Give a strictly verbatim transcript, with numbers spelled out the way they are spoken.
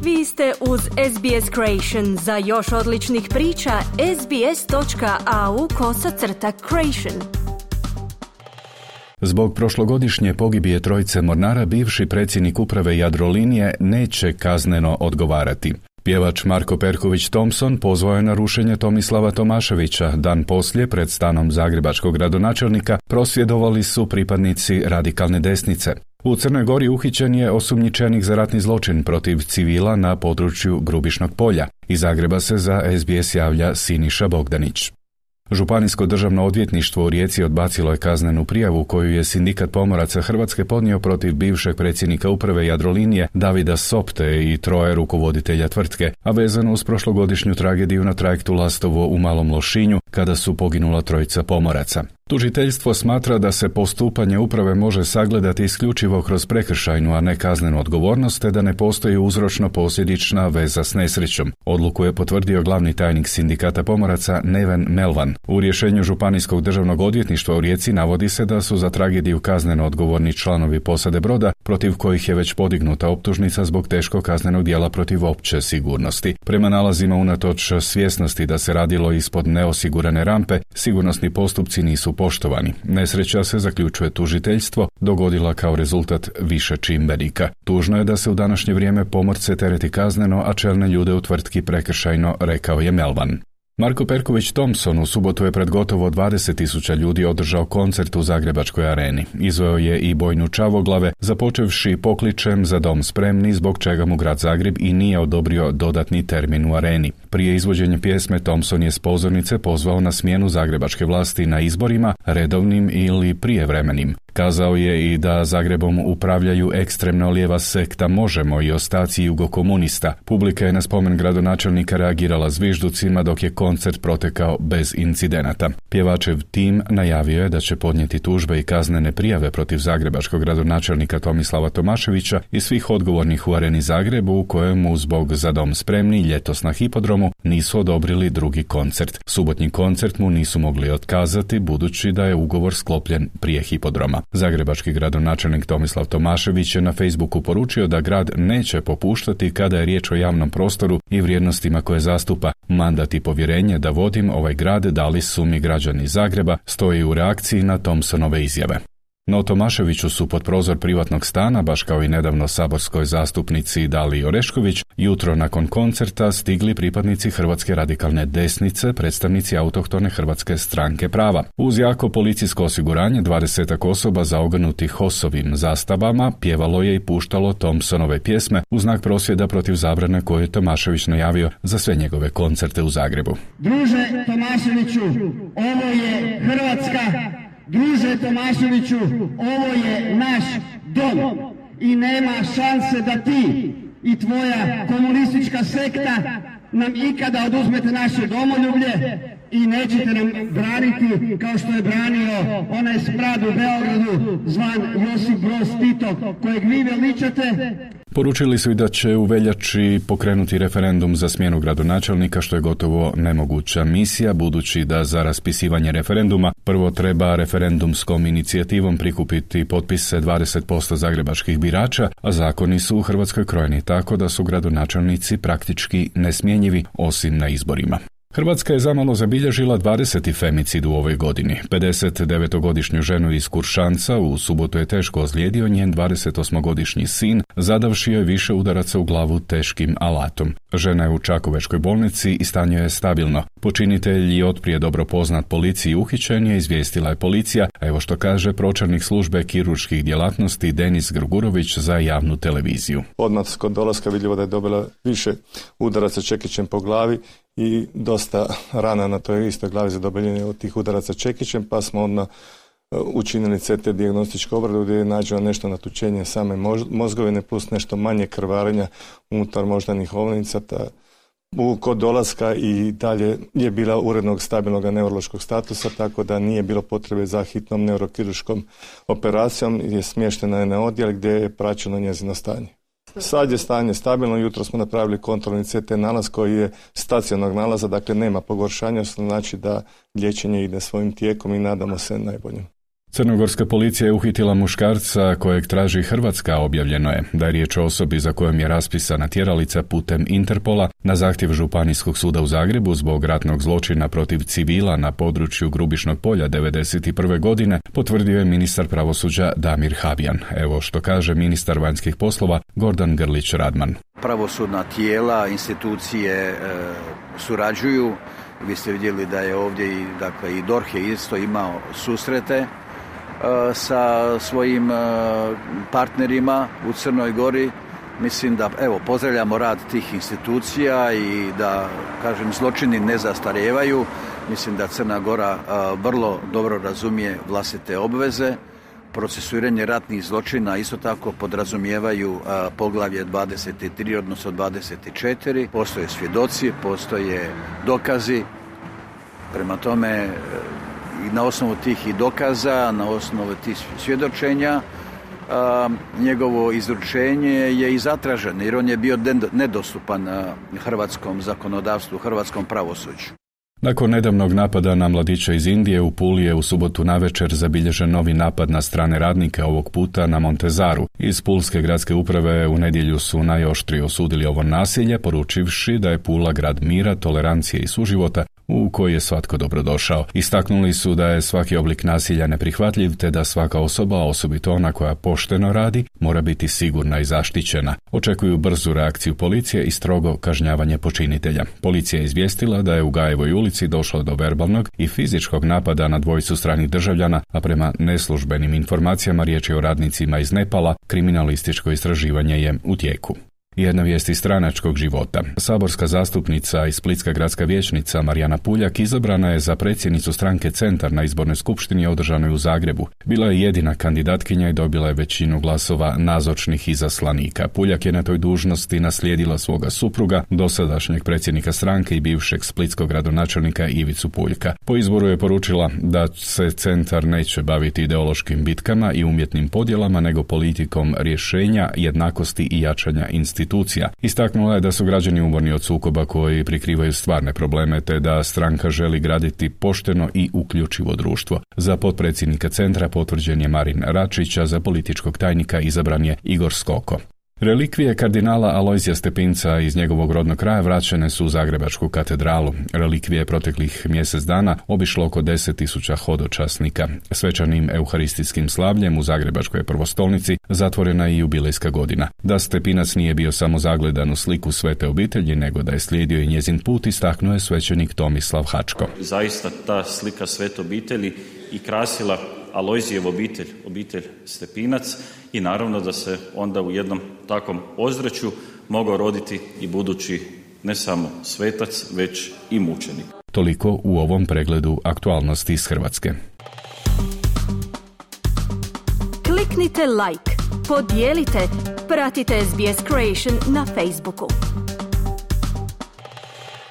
Vi ste uz S B S Creation. Za još odličnih priča, sbs.au kosacrta creation. Zbog prošlogodišnje pogibije trojice mornara, bivši predsjednik uprave Jadrolinije neće kazneno odgovarati. Pjevač Marko Perković Thompson pozvao je na rušenje Tomislava Tomaševića. Dan poslije, pred stanom zagrebačkog gradonačelnika, prosvjedovali su pripadnici radikalne desnice. U Crnoj Gori uhićen je osumnjičenik za ratni zločin protiv civila na području Grubišnog polja. Iz Zagreba se za S B S javlja Siniša Bogdanić. Županijsko državno odvjetništvo u Rijeci odbacilo je kaznenu prijavu koju je Sindikat pomoraca Hrvatske podnio protiv bivšeg predsjednika uprave Jadrolinije Davida Sopte i troje rukovoditelja tvrtke, a vezano uz prošlogodišnju tragediju na trajektu Lastovo u Malom Lošinju kada su poginula trojica pomoraca. Tužiteljstvo smatra da se postupanje uprave može sagledati isključivo kroz prekršajnu, a ne kaznenu odgovornost, te da ne postoji uzročno-posljedična veza s nesrećom. Odluku je potvrdio glavni tajnik Sindikata pomoraca Neven Melvan. U rješenju Županijskog državnog odvjetništva u Rijeci navodi se da su za tragediju kazneno odgovorni članovi posade broda, protiv kojih je već podignuta optužnica zbog teškog kaznenog djela protiv opće sigurnosti. Prema nalazima, unatoč svjesnosti da se radilo ispod neosigurane rampe, sigurnosni postupci nisu poštovani. Nesreća, se zaključuje tužiteljstvo, dogodila kao rezultat više čimbenika. Tužno je da se u današnje vrijeme pomorce tereti kazneno, a čelne ljude u tvrtki prekršajno, rekao je Melvan. Marko Perković Thompson u subotu je pred gotovo dvadeset tisuća ljudi održao koncert u Zagrebačkoj areni. Izveo je i bojnu Čavoglave, započevši pokličem Za dom spremni, zbog čega mu grad Zagreb i nije odobrio dodatni termin u areni. Prije izvođenja pjesme Thompson je s pozornice pozvao na smjenu zagrebačke vlasti na izborima, redovnim ili prijevremenim. Kazao je i da Zagrebom upravljaju ekstremno lijeva sekta Možemo i ostaci jugokomunista. Publika je na spomen gradonačelnika reagirala zvižducima, dok je koncert protekao bez incidenata. Pjevačev tim najavio je da će podnijeti tužbe i kaznene prijave protiv zagrebačkog gradonačelnika Tomislava Tomaševića i svih odgovornih u areni Zagrebu, u kojemu zbog Za dom spremni ljetos na hipodromu nisu odobrili drugi koncert. Subotnji koncert mu nisu mogli otkazati, budući da je ugovor sklopljen prije hipodroma. Zagrebački gradonačelnik Tomislav Tomašević je na Facebooku poručio da grad neće popuštati kada je riječ o javnom prostoru i vrijednostima koje zastupa. Mandat i povjerenje da vodim ovaj grad dali su mi građani Zagreba, stoji u reakciji na Thompsonove izjave. No Tomaševiću su pod prozor privatnog stana, baš kao i nedavno saborskoj zastupnici Daliji Orešković, jutro nakon koncerta stigli pripadnici Hrvatske radikalne desnice, predstavnici autohtone Hrvatske stranke prava. Uz jako policijsko osiguranje, dvadesetak osoba zaogrnutih HOS-ovim zastavama pjevalo je i puštalo Thompsonove pjesme u znak prosvjeda protiv zabrane koju je Tomašević najavio za sve njegove koncerte u Zagrebu. Druže Tomaševiću, ovo je Hrvatska. Druže Tomaševiću, ovo je naš dom i nema šanse da ti i tvoja komunistička sekta nam ikada oduzmete naše domoljublje i nećete nam braniti kao što je branio onaj smrad u Beogradu zvan Josip Broz Tito, kojeg vi veličate. Poručili su i da će u veljači pokrenuti referendum za smjenu gradonačelnika, što je gotovo nemoguća misija, budući da za raspisivanje referenduma prvo treba referendumskom inicijativom prikupiti potpise dvadeset posto zagrebačkih birača, a zakoni su u Hrvatskoj krojeni tako da su gradonačelnici praktički nesmjenjivi osim na izborima. Hrvatska je zamalo zabilježila dvadeseti femicid u ovoj godini. pedesetdevetogodišnju ženu iz Kuršanca u subotu je teško ozlijedio njen dvadesetosmogodišnji sin, zadavši joj više udaraca u glavu teškim alatom. Žena je u Čakovečkoj bolnici i stanje je stabilno. Počinitelj je otprije dobro poznat policiji, uhićen je, izvijestila je policija, a evo što kaže pročelnik službe kirurških djelatnosti Denis Grgurović za javnu televiziju. Odmah kod dolaska vidljivo da je dobila više udaraca čekićem po glavi i dosta rana na toj istoj glavi zadobljenje od tih udaraca čekićem, pa smo odmah učinili C T dijagnostičku obradu gdje je nađeno nešto natučenje same mozgovine plus nešto manje krvarenja unutar moždanih ovnica. U, kod dolaska i dalje je bila urednog stabilnog neurološkog statusa, tako da nije bilo potrebe za hitnom neurokirurškom operacijom, je smještena je na odjel gdje je praćeno njezino stanje. Sad je stanje stabilno, jutro smo napravili kontrolni C T nalaz koji je stacionarnog nalaza, dakle nema pogoršanja, što znači da liječenje ide svojim tijekom i nadamo se najboljim. Crnogorska policija je uhitila muškarca kojeg traži Hrvatska. Objavljeno je da je riječ o osobi za kojom je raspisana tjeralica putem Interpola na zahtjev Županijskog suda u Zagrebu zbog ratnog zločina protiv civila na području Grubišnog polja devedeset prve godine, potvrdio je ministar pravosuđa Damir Habijan. Evo što kaže ministar vanjskih poslova Gordan Grlić Radman. Pravosudna tijela, institucije e, surađuju. Vi ste vidjeli da je ovdje i, dakle, i D O R H je isto imao susrete sa svojim partnerima u Crnoj Gori. Mislim da, evo, pozdravljamo rad tih institucija i da, kažem, zločini ne zastarijevaju. Mislim da Crna Gora vrlo dobro razumije vlastite obveze. Procesuiranje ratnih zločina isto tako podrazumijevaju poglavlje dvadeset tri, odnosno dvadeset četiri. Postoje svjedoci, postoje dokazi. Prema tome, i na osnovu tih i dokaza, na osnovu tih svjedočenja, a, njegovo izručenje je i zatraženo, jer on je bio nedostupan hrvatskom zakonodavstvu, hrvatskom pravosuđu. Nakon nedavnog napada na mladića iz Indije, u Puli je u subotu navečer zabilježen novi napad na strane radnike, ovog puta na Montezaru. Iz Pulske gradske uprave u nedjelju su najoštrije osudili ovo nasilje, poručivši da je Pula grad mira, tolerancije i suživota u koji je svatko dobrodošao. Istaknuli su da je svaki oblik nasilja neprihvatljiv, te da svaka osoba, osobito ona koja pošteno radi, mora biti sigurna i zaštićena. Očekuju brzu reakciju policije i strogo kažnjavanje počinitelja. Policija je izvijestila da je u Gajevoj ulici došlo do verbalnog i fizičkog napada na dvojicu stranih državljana, a prema neslužbenim informacijama riječ je o radnicima iz Nepala. Kriminalističko istraživanje je u tijeku. Jedna vijest iz stranačkog života. Saborska zastupnica i splitska gradska vijećnica Marijana Puljak izabrana je za predsjednicu stranke Centar na izbornoj skupštini održanoj u Zagrebu. Bila je jedina kandidatkinja i dobila je većinu glasova nazočnih izaslanika. Puljak je na toj dužnosti naslijedila svoga supruga, dosadašnjeg predsjednika stranke i bivšeg splitskog gradonačelnika Ivicu Puljka. Po izboru je poručila da se Centar neće baviti ideološkim bitkama i umjetnim podjelama, nego politikom rješenja, jednakosti i jačanja institucija. Istaknula je da su građani umorni od sukoba koji prikrivaju stvarne probleme, te da stranka želi graditi pošteno i uključivo društvo. Za potpredsjednika Centra potvrđen je Marin Račić, a za političkog tajnika izabran je Igor Skoko. Relikvije kardinala Alojzija Stepinca iz njegovog rodnog kraja vraćene su u Zagrebačku katedralu. Relikvije proteklih mjesec dana obišlo oko deset tisuća hodočasnika. Svečanim euharistijskim slavljem u Zagrebačkoj prvostolnici zatvorena je i jubilejska godina. Da Stepinac nije bio samo zagledan u sliku svete obitelji, nego da je slijedio i njezin put, istaknuo je svećenik Tomislav Hačko. Zaista ta slika svete obitelji i krasila Alojzijev obitelj, obitelj Stepinac, i naravno da se onda u jednom takvom ozračju mogao roditi i budući ne samo svetac, već i mučenik. Toliko u ovom pregledu aktualnosti iz Hrvatske. Kliknite like, podijelite, pratite S B S Creation na Facebooku.